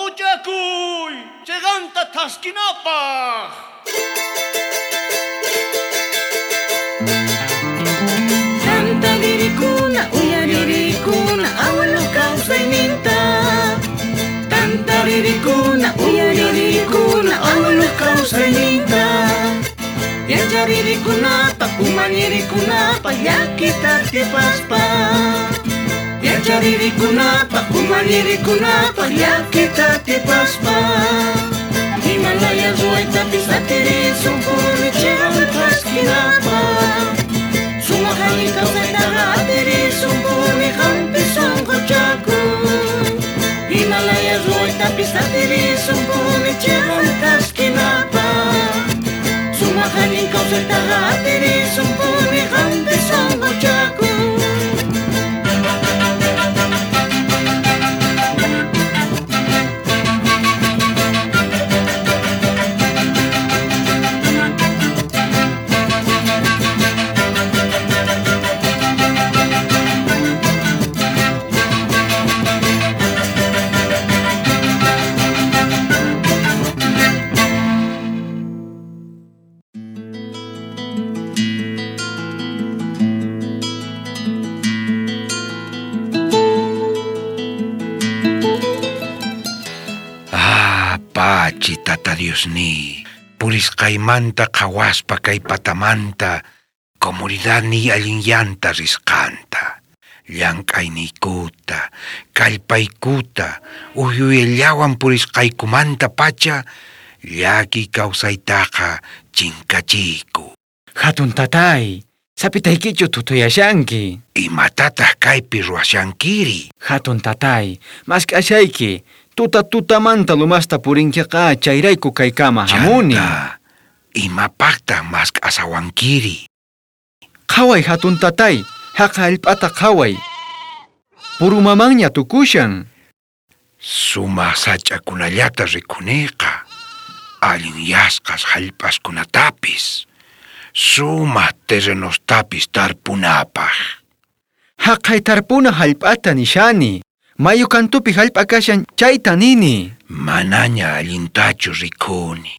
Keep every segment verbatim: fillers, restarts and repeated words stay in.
Sonqochakuy, cheqanta thaskinapaq. Tantaririkuna, uyaririkuna, abuelo kawsayninta. Tantaririkuna, uyaririkuna, abuelo kawsayninta. Yacharirikunapa, umallirikunapa, llakita atipaspa. Yacharirikunapa, umallirikunapa, llakita atipaspa. Himalaya ruwaytapis atirisunpuni chiqan thaskinapa. Sumaq allin kawsaytaqa atirisunpuni qampi sunquchakuy. Himalaya ruwaytapis atirisunpuni chiqan thaskinapa. Sumaq allin kawsaytaqa atirisunpuni qampi sunquchakuy. Pachi tata Diosni, purisqaymanta qhawaspa kay patamanta, comunidadniy allinyanta risqanta, llank'ayniykuta, kallpaykuta, uhyuyallawan purisqaykumanta pacha, llaki kawsaytaqa chinkachiyku. Hatun tatay, sapitaykichu tutuyashanki. Imatataq kaypi ruwashankiri? Hatun tatay, mask'ashayki. Tuta tutamanta lumasta purinkiqa chayrayku kaykama hamuni. Chanta, imapaqtaq mask'asawankiri? Qhaway hatun tatay, haqa hallp'ata qhaway. Purumamanña tukushan. Sumaq sach'akunallata rikuniqa, allinyasqas hallp'askunatapis, sumaq terrenostapis tarpunapaq. Haqay tarpuna hallp'ata nishani. Mayu kantupi hallp'a kashan chayta nini. Manaña allintachu rikuni.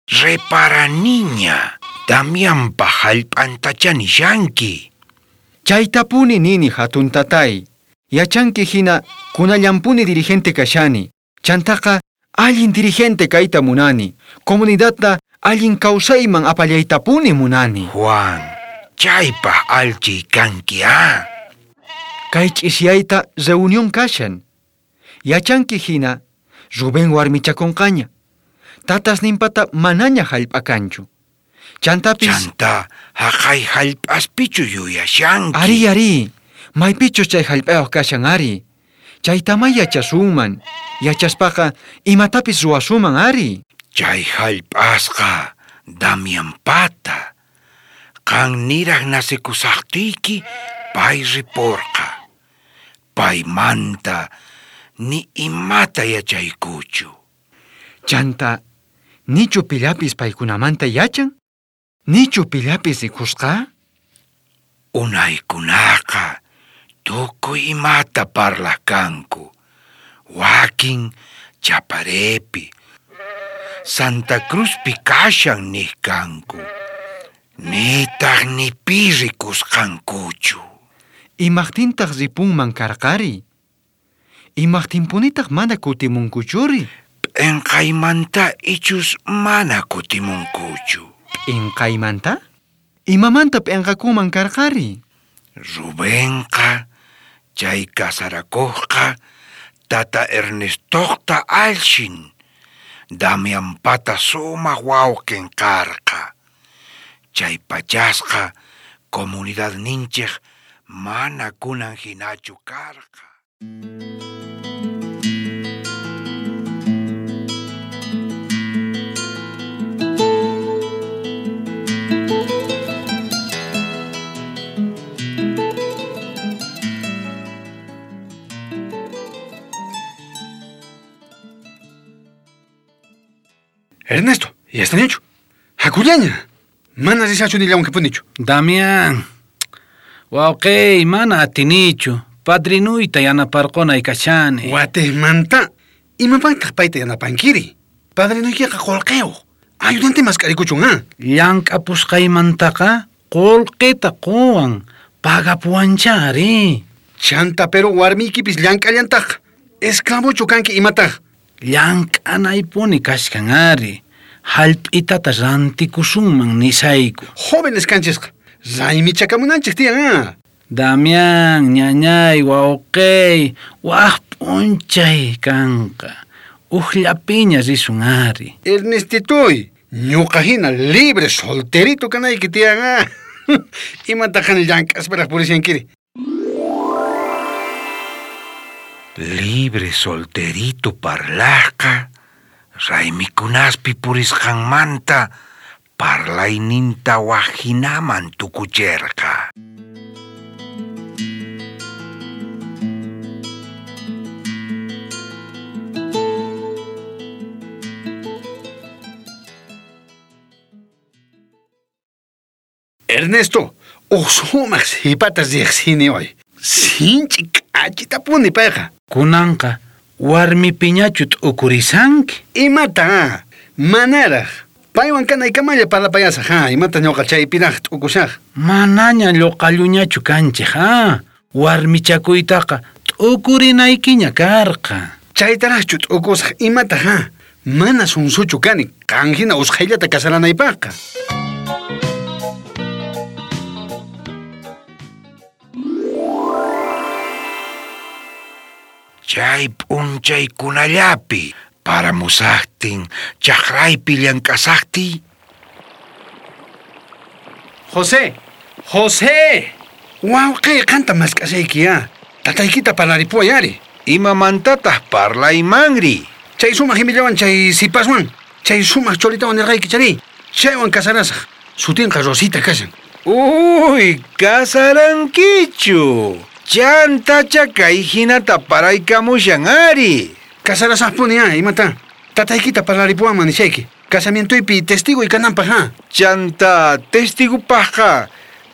Reparaniña, Damianpa hallp'antacha nishanki. Chaytapuni nini hatun tatay. Yachanki hina kunallampuni dirigente kashani. Chantaqa allin dirigente kayta munani. Comunidadta allin kawsayman apallaytapuni munani. Juan, chaypaq allchiy kanki ah. Kay ch'isiyayta reunión kashan. Yachanki hina Rubén warmichakunqaña. Tatas ninpata manaña hallp'a kanchu. Chantapis... Chanta, haqay hallp'aspichu yuyashanki. Ari, ari, maypichus chay hallp'ayuq kashan ari. Chaytamá yachasunman. Yachaspaqa imatapis ruwasuman ari. Chay hallp'asqa Damianpata. Qan niraq nacikusaqtiyki pay ripurqa. Paymanta ni imata yachaykuchu. Chanta, nichu pillapis paykunamanta yachan? Nichu pillapis rikusqa? Unaykunaqa tukuy imata parlaq kanku. Wakin Chaparepi, Santa Cruzpi kashan niq kanku. Nitaq ni pi rikusqankuchu. Imaqtintaq ripunman karqari? Imaqtinpunitaq mana kutimunkuchuri? P'inqaymanta ichus mana kutimunkuchu. P'inqaymanta? Imamanta p'inqakuman karqari? Rubenqa, chay kasarakuqqa, tata Ernestoqta allshin, Damianpata sumaq wawqin karqa. Chay pachasqa comunidadninchik mana kunan hinachu karqa. Ernesto, yastañachu. Hakullaña. Mana rishachu nillawankipunichu. Damián. Wawqiy, mana atinichu. Padrinuyta yanaparqunay kashani. Watejmanta Imapaqtaq payta yanapankiri? Padrinuykiqa qolqeyuq. Ayudante mask'arikuchun, ha? Llank'apusqaymantaqa qolqeta qowan, pagapuwancha ari. Chanta pero warmiykipis llank'allantaq. Esclavochu kanki imataq? Llank'anaypuni kashkan ari. Hallp'itata rantikusunman nisayku. Jóvenes kanchisqa. Raymichakamunanchik tiyan, ha? Damián, ñañay, wawqey, waj p'unchay kanqa. Ujllapiña risun ari. Ernestitoy, ñuqa hina libre solterito kanayki tiyan, ha? Imataqan llank'asparaq purishankiri? Libre solterito parlajqa, raymikunaspi purisqanmanta parlayninta wajinaman tukucherqa. Ernesto, uj sumaq sipata riqsini hoy. Sinchi k'achitapuni payqa. Kunanqa warmipiñachu t'ukurisanki? Imata, manaraq. Paywan kanaykamalla parlapayasaq, ha? Imata ñuqa chaypiraq t'ukusaq. Manaña lluqalluñachu kanchik, ha? Warmichakuytaqa t'ukurinaykiña karqa. Chaytaraqchu t'ukusaq, imata, ha? Mana sunsuchu kani, qan hina usqhayllata kasaranaypaqqa. Chay p'unchaykunallapi paramusaqtin, chaqraypi llank'asaqtiy. José, José! Wawqiy, qanta mask'ashayki, ha? Tataykita parlaripuway ari. Imamantataq parlaymanri? Chay sumaq imillawan chay sipaswan, chay sumaq cholitawan nirqayki chari. Chaywan kasarasaq. Sutinqa Rosita kashan. Uy, kasarankichu. Chantacha kay hinata paraykamushan ari. Kasarasaqpuni, ha? Imata? Tataykita parlaripuwanman nishayki. Casamientoypi testigo kananpaq, ha? Chanta testigopaqqa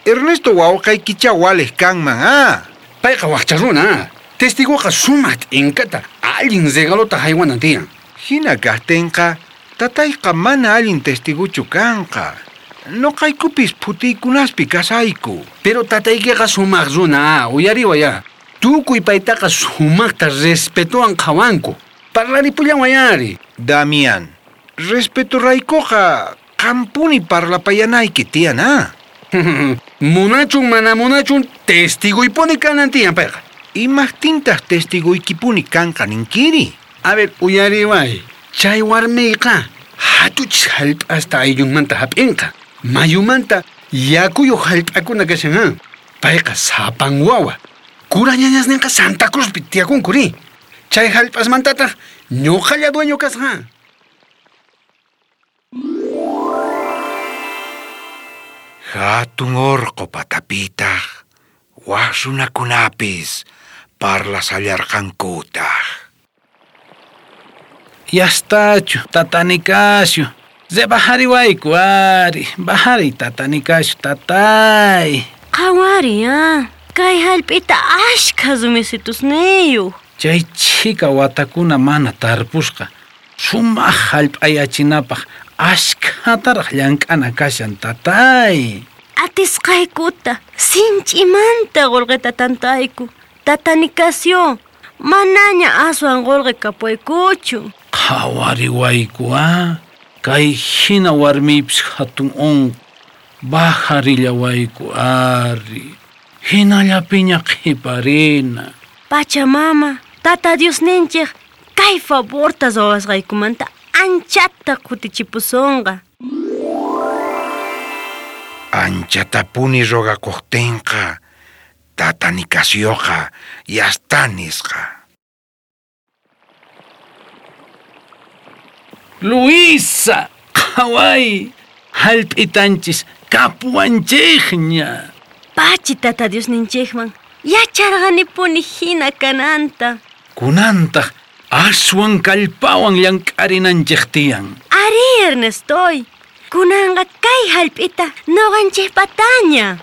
Ernesto wawqaykicha waliq kanman, ha? Payqa waqcha runa, ha? Testigoqa sumaq t'inkata allin regalota haywanan tiyan. Hina kaqtinqa tatayqa mana allin testiguchu kanqa. Noqaykupis phutiykunaspi kasayku. Pero tataykiqa sumaq runa, ha? Uyariway, ha? Tukuy paytaqa sumaqta respetowan qhawanku. Parlaripullanway ari. Damián, respetoraykuqa qampuni parlapayanayki tiyan, ha? Munachun mana munachun testiguypuni kanan tiyan payqa. Imaqtintaq testiguykipuni kanqa ninkiri? A ver, uyariway. Chay warmiyqa hatuchis hallp'asta ayllunmanta hap'inqa. Mayumanta yakuyuq hallp'akuna kashan, ha? Payqa sapan wawa. Kura ñañasninqa Santa Cruzpi tiyakunku ri. Chay hallp'asmantataq ñuqalla dueño kasqa, ha? Hatun orqo patapitaq waj runakunapis parlasallarqankutaq. Yastachu, tata Nicasio. Rebajariwayku ari, bajari tata Nicasio, tatay. Qhawari, ha? Kay hallp'ita ashkha rumisitusniyuq. Chay chhika watakuna mana tarpusqa. Sumaq hallp'ayachinapaq ashkhataraq llank'ana kashan, tatay. Atisqaykuta sinch'imanta qolqeta tantayku. Tata Nicasio, manaña aswan qolqe kapuwaykuchu. Qhawariwayku, ha? Kay hina warmiypis hatun unqu. Bajarillawayku ari. Hinallapiña qhiparina. Pachamama, Tata Diosninchik kay favorta ruwasqaykumanta anchata kutichipusonqa. Anchatapuni rogakuqtinqa tata Nicasioqa yasta nisqa. Luisa, qhaway, hallp'itanchis kapuwanchikña. Pachi tata Diosninchikman yacharqanipuni hina kananta. Kunantaq aswan kallpawan llank'arinanchik tiyan. Ari, Ernestoy, kunanqa kay hallp'ita nuqanchikpataña.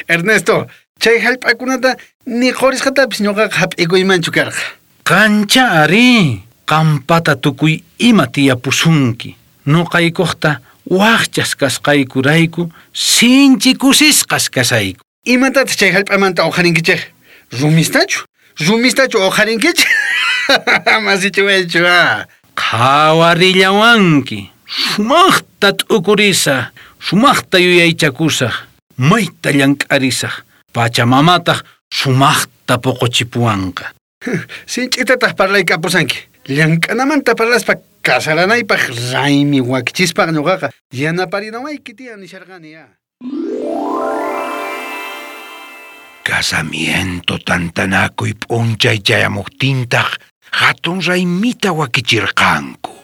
Ernesto, chay hallp'akunata ni qurisqatapis ñuqaqa hap'ikuymanchu karqa. Qancha ari, qampata tukuy ima tiyapusunki. Nuqaykuqta waqchas kasqaykurayku sinchi kusisqas kasayku. Imatataq chay hallp'amanta uqharinkichik? Rumistachu? Rumistachu uqharinkichik? Masichiwaychu ah. Qhawarillawanki. Sumaqta t'ukurisaq, sumaqta yuyaychakusaq, mayta llank'arisaq, pachamamataq sumaqta puquchipuwanqa. Sinch'itataq parlaykapusanki. Llank'anamanta parlaspa kasaranaypaq raymi wakichispaq ñuqaqa yanaparinawayki tiyan nisharqani ah. Casamiento tantanakuy p'unchay chayamuqtintaq hatun raymita wakichirqanku.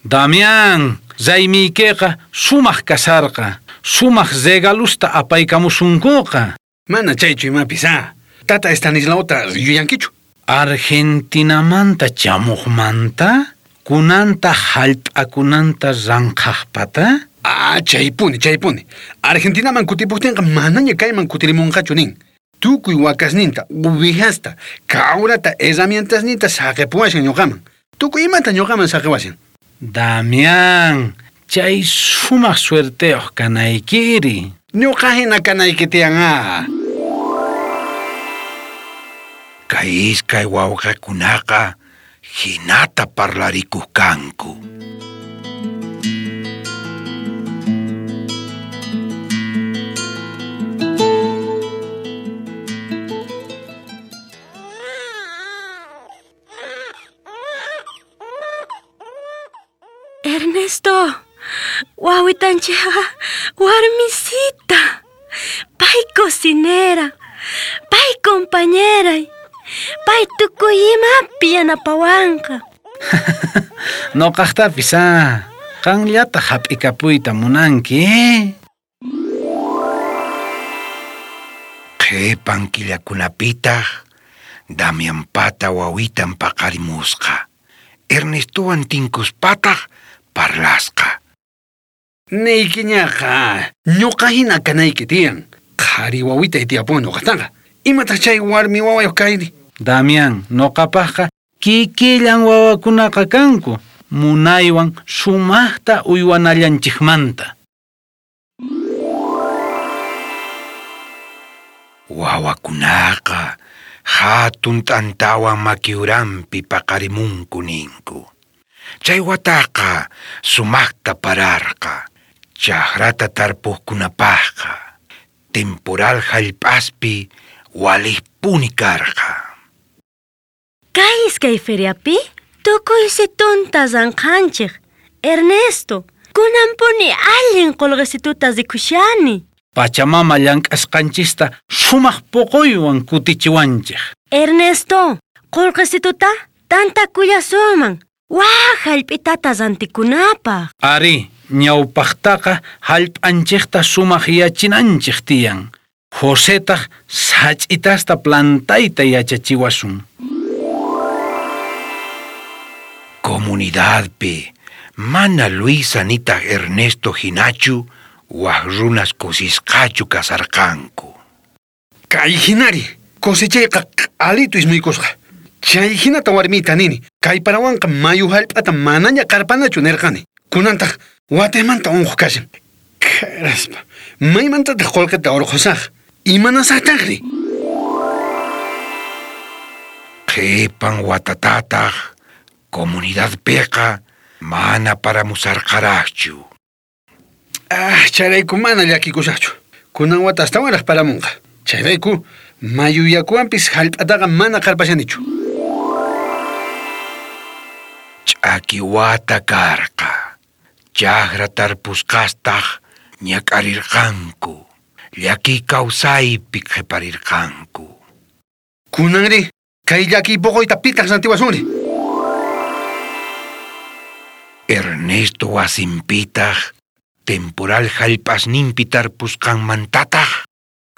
Damián, raymiykiqa sumaq kasarqa, sumaq regalusta apaykamusunkuqa. Mana chaychu imapis ah. Tata Estanislaota yuyankichu. Argentinamanta chamuqmanta, kunanta hallp'akunanta ranqhaqpata? Ah, chaypuni, chaypuni. Argentinaman kutipuqtinqa manaña kayman kutirimunqachu nin. Tukuy wakasninta, uvijasta, kawrata, herramientasninta saqipuwashan ñuqaman. Tukuy imata ñuqaman saqiwashan. Damián, chay sumaq suerteyuq kanaykiri. Ñuqa hina kanayki tiyan ah. Kay iskay wawqakunaqa hinata parlarikuq kanku. Ernesto, wawitanchikqa warmisita. Pay cocinera, pay compañeray, pay tukuy imapi yanapawanqa. Nuqaqtapis ah, qanllata hap'ikapuyta munanki, eh? Qhipan killakunapitaq Damianpata wawitan paqarimusqa. Ernestowan tinkuspataq parlasqa. Niykiñaqa, ñuqa hina kanayki tiyan. Qhari wawitay tiyapuwan ñuqataqa. Imataq chay warmi wawayuq kayri? Damián, nuqapaqqa kikillan wawakunaqa kanku. Munaywan sumaqta uywanallanchikmanta. Wawakunaqa hatun t'antawan makiuranpi paqarimunku ninku. Chay wataqa sumaqta pararqa, chakrata tarpuqkunapaqqa, temporal hallp'aspi waliqpuni karqa. Kay iskay feriapi tukuysitunta ranqhanchik. Ernesto, kunanpuni allin qullqisituta rikushani. Pachamama llank'asqanchista sumaq puquywan kutichiwanchik. Ernesto, qullqisituta tantakullasuman. Waj hallp'itata rantikunapaq. Ari, ñawpaqtaqa hallp'anchikta sumaq yachinanchik tiyan. Josetaq sach'itasta plantayta yachachiwasun. Comunidadpi mana Luisa nitaq Ernesto hinachu waj runas kusisqachu kasarqanku. Kay hinari, cosechayqa q'alitu ismuykusqa. Chay hinata warmita nini, kay parawanqa mayu hallp'ata manaña qarpanachu nirqani. Kunantaq watemanta unquq kashan. Karaspa, maymantataq qullqita urqusaq? Imanasaqtaqri? Qhipan watatataq comunidadpiqa mana paramusarqaraqchu. Ah, chayrayku mana llakikusaqchu. Kunan wata astawanraq paramunqa. Chayrayku mayu yakuwanpis hallp'ataqa mana qarpashanichu. Ch'aki wata karqa. Chajra tarpusqastaq ñak'arirqanku. Llaki kawsaypi qhiparirqanku. Kunanri, kay llaki poqoyta pitaq rantiwasunri. Ernesto wasinpitaq temporal hallp'asninpi tarpusqanmantataq.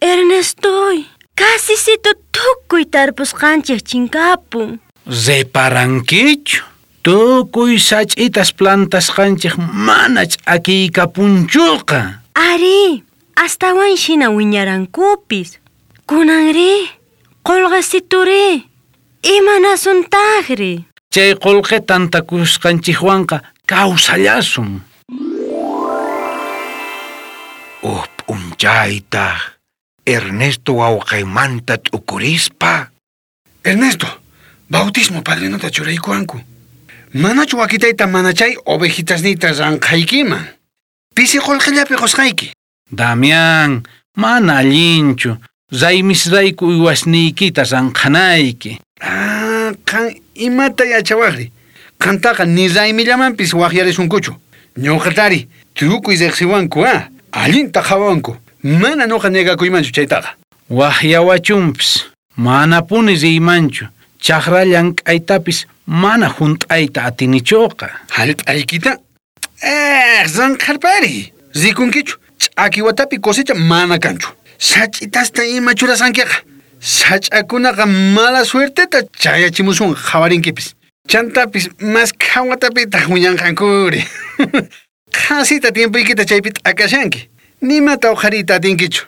Ernestoy, kasisito tukuy tarpusqanchik chinkapun. Reparankichu, tukuy sach'itas plantasqanchik mana ch'akiykapunchuqa. Ari, astawan hina wiñarankupis. Kunanri, qullqisituri, imanasuntaqri. Chay qullqi tantakusqanchikwanqa kawsallasun. Uj p'unchaytaq Ernesto wawqaymanta t'ukurispa. Ernesto, bautismo padrinota churaykuwanku. Manachu wakitayta mana chay ovejitasniyta ranqhaykiman. Pisi qullqillapi qusqayki. Damián, mana allinchu. Raymisrayku uywasniykita ranqhanayki. Ah, qan imata yachawaqri. Qantaqa ni raymillamanpis waqyarisunkuchu. Ñuqatari, tukuy riqsiwanku, ah, allinta qhawanku. Mana ñuqa negakuymanchu chaytaqa. Waqyawachunpis, manapuni riymanchu. Chaqra llank'aytapis mana hunt'ayta atinichuqa. Hallp'aykita? Eh, ranqharpari. Rikunkichu, ch'aki watapi cosecha mana kanchu. Sach'itasta ima churasankiqa. Sach'akunaqa mala suerteta chayachimusun qhawarinkipis. Chantapis mas qhawatapitaq wiñanqankuri. Qhasita tiempoykita chaypi t'akashanki. Nimata uqhariyta atinkichu.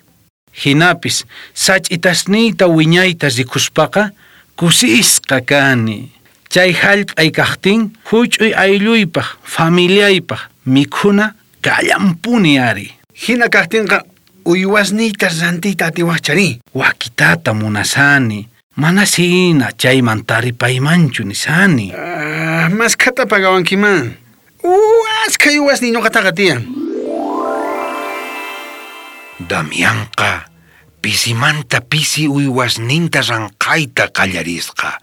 Hinapis sach'itasniyta wiñayta rikuspaqa kusisqa kani. Chay hallp'ay kaqtin huch'uy aylluypaq familiaypaq mikhuna kallanpuni ari. Hina kaqtinqa uywasniyta rantiyta atiwaqchari. Wakitata munasani. Mana hina chayman taripaymanchu nisani. Ah, maskhata pagawankiman. Uaskha uywasniy ñuqataqa tiyan. Damianqa pisimanta pisi uywasninta ranqhayta qallarisqa.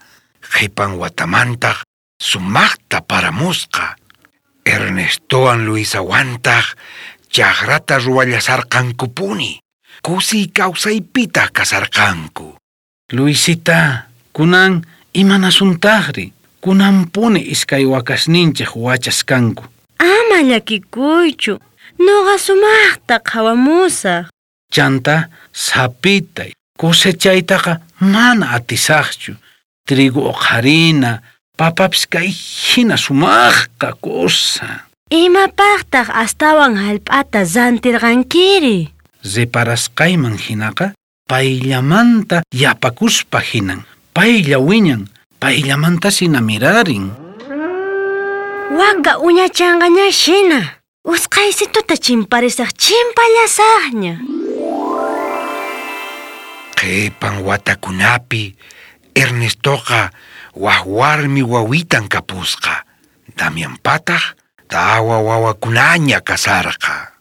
Qhipan watamantaq sumaqta paramusqa. Ernestowan Luisawantaq chaqrata ruwallasarqankupuni. Kusiy kawsaypitaq kasarqanku. Luisita, kunan imanasuntaqri. Kunanpuni iskay wakasninchik wachaskanku. Ama llakikuychu. Nuqa sumaqta qhawamusaq. Chanta sapitay cosechaytaqa mana atisaqchu. Trigo uqharina, papapis kay hina sumaqqa cosa. Imapaqtaq astawan hallp'ata rantirqankiri? Reparasqayman hinaqa payllamanta yapakuspa hinan, paylla wiñan, payllamanta sina mirarin. Waka uñachanqaña hina. Usqhaysituta chimparisaq chimpallasaqña. Qhipan watakunapi Ernestoqa wak warmi wawitan kapusqa. Damianpataq tawa wawakunaña kasarqa.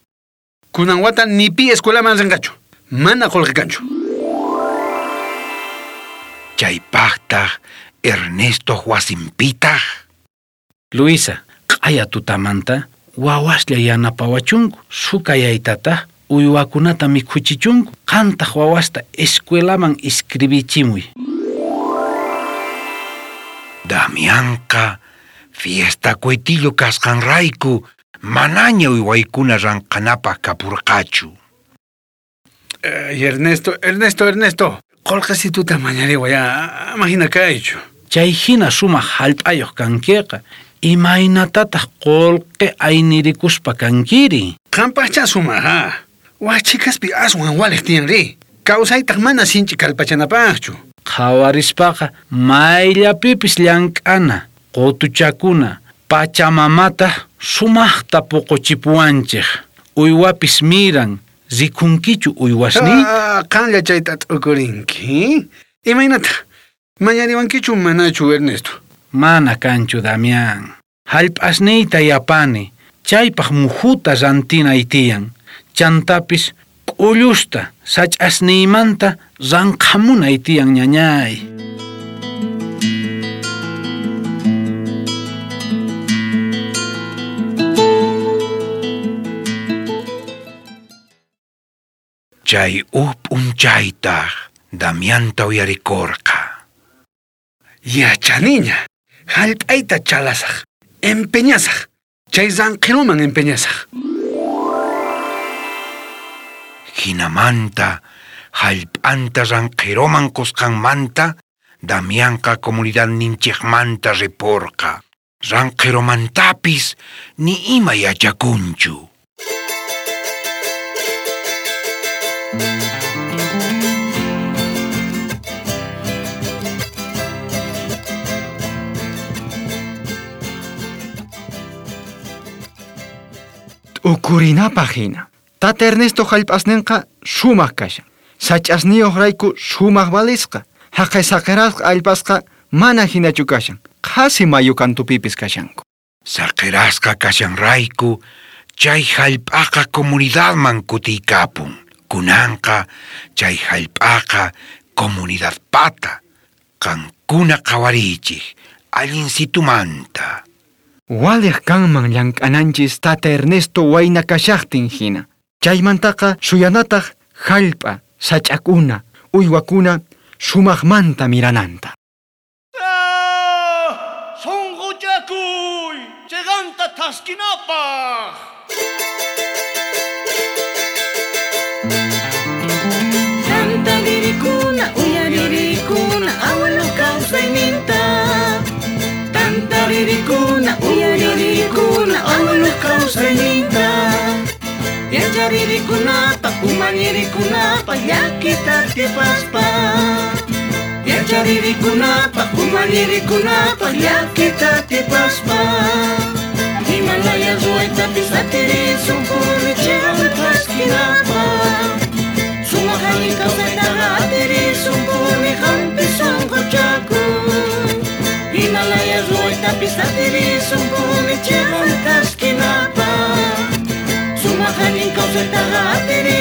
Kunan wata ni pi escuelaman rinqachu. Mana qullqi kanchu. Chaypaqtaq Ernesto wasinpitaq. Luisa, q'aya tutamanta wawaslla yanapawachunku sukayaytataq uywakunata mikhuchichunku. Qantaq wawasta escuelaman iscribichimuy. Damianqa fiesta cuetillo kasqanrayku manaña uywaykuna ranqhanapaq kapurqachu. Ay, Ernesto, Ernesto, Ernesto. Qullqisituta mañariway, ama hina kaychu. Chay hina sumaq hallp'ayuq kankiqa. Imaynatataq qullqi aynirikuspa kankiri? Qampaqcha sumaq, ha. Wachikaspi aswan waliq tiyanri. Kawsaytaq mana sinchi kallpachanapaqchu. Qhawarispaqa mayllapipis llank'ana, qutuchakuna, pachamamata sumaqta puquchipuwanchik. Uywapis miran, rikunkichu uywasniyta? Ah, qanlla chayta t'ukurinki. Imaynata? Mañariwankichu manachu, Ernesto? Mana kanchu, Damián. Hallp'asniyta yapani, chaypaq muhuta rantinay tiyan. Chantapis k'ullusta sach'asniymanta ranqhamunay tiyan ñañay. Chay uj p'unchaytaj Damianta uyarikorqa. Yachaniña, hallp'ayta chalasaj, empeñasaj, chay ranqiruman empeñasaj. Jinamanta, hallp'anta ranqiruman qusqanmanta, Damianqa comunidadninchikmanta riporqa. Ranqirumantapis ni ima yachakunchu. T'ukurinapaj hina. Tata Ernesto hallp'asninqa sumaq kashan. Sach'asniyuqrayku sumaq valisqa. Haqay saqirasqa allpasqa mana hinachu kashan. Qhasi mayu kantupipis kashanku. Saqirasqa kashanrayku chay hallp'aqa comunidadman kutiykapun. Kunanqa chay hallp'aqa comunidadpata. Qankuna qhawariychik allinsitumanta. Waliq kanman llank'ananchis Tata Ernesto wayna kashaqtin hina. Chaymantaqa suyanataq hallp'a, sach'akuna, uywakuna sumaqmanta mirananta. Ah, Sonqochakuy, chiqanta thaskinapaj. Tantaririkuna, uyaririkuna, abuelo kawsayninta. Tantaririkuna, uyaririkuna, abuelo kawsayninta. Yacharirikunapaj, umallirikunapaj, llakita atipaspa. Yacharirikunapaj, umallirikunapaj, llakita atipaspa. Himalaya ruwaytapis atirisunpuni chiqan thaskinapaj. Sumaq allin kawsaytaqa atirisunpuni qampi sunquchakuy. Himalaya ruwaytapis atirisunpuni chiqan thaskinapaj. Sumaq allin kawsaytaqa atirisunpuni.